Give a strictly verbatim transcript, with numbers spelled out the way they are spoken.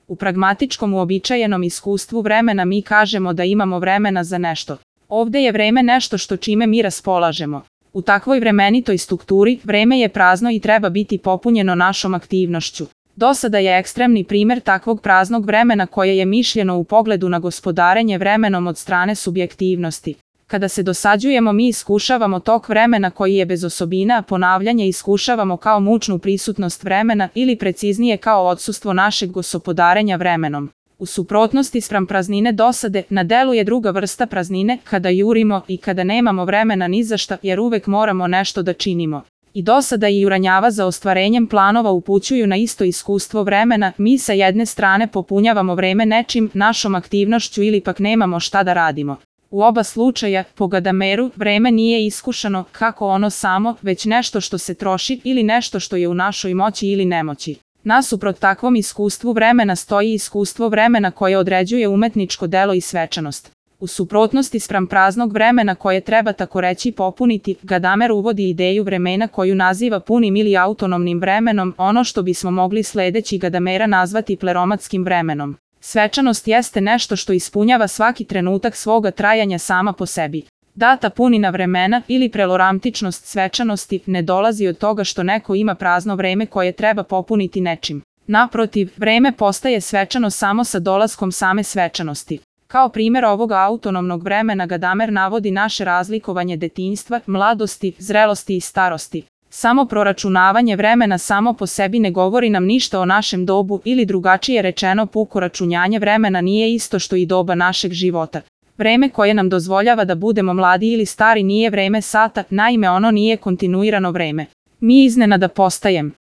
U pragmatičkom uobičajenom iskustvu vremena mi kažemo da imamo vremena za nešto. Ovde je vreme nešto što čime mi raspolažemo. U takvoj vremenitoj strukturi vreme je prazno i treba biti popunjeno našom aktivnošću. Dosada je ekstremni primer takvog praznog vremena koje je mišljeno u pogledu na gospodarenje vremenom od strane subjektivnosti. Kada se dosađujemo mi iskušavamo tok vremena koji je bez osobina, a ponavljanje iskušavamo kao mučnu prisutnost vremena ili preciznije kao odsustvo našeg gospodarenja vremenom. U suprotnosti spram praznine dosade, na delu je druga vrsta praznine, kada jurimo i kada nemamo vremena ni za šta jer uvek moramo nešto da činimo. I dosada i uranjava za ostvarenjem planova upućuju na isto iskustvo vremena, mi sa jedne strane popunjavamo vreme nečim, našom aktivnošću ili pak nemamo šta da radimo. U oba slučaja, po Gadameru, vreme nije iskušano kako ono samo, već nešto što se troši ili nešto što je u našoj moći ili nemoći. Nasuprot takvom iskustvu vremena stoji iskustvo vremena koje određuje umetničko delo i svečanost. U suprotnosti spram praznog vremena koje treba tako reći popuniti, Gadamer uvodi ideju vremena koju naziva punim ili autonomnim vremenom, ono što bismo mogli sledeći Gadamera nazvati pleromatskim vremenom. Svečanost jeste nešto što ispunjava svaki trenutak svoga trajanja sama po sebi. Data punina vremena ili preloramtičnost svečanosti ne dolazi od toga što neko ima prazno vreme koje treba popuniti nečim. Naprotiv, vreme postaje svečano samo sa dolaskom same svečanosti. Kao primjer ovog autonomnog vremena Gadamer navodi naše razlikovanje detinjstva, mladosti, zrelosti i starosti. Samo proračunavanje vremena samo po sebi ne govori nam ništa o našem dobu ili drugačije rečeno puko računjanje vremena nije isto što i doba našeg života. Vreme koje nam dozvoljava da budemo mladi ili stari nije vreme sata, naime ono nije kontinuirano vreme. Mi iznenada postajem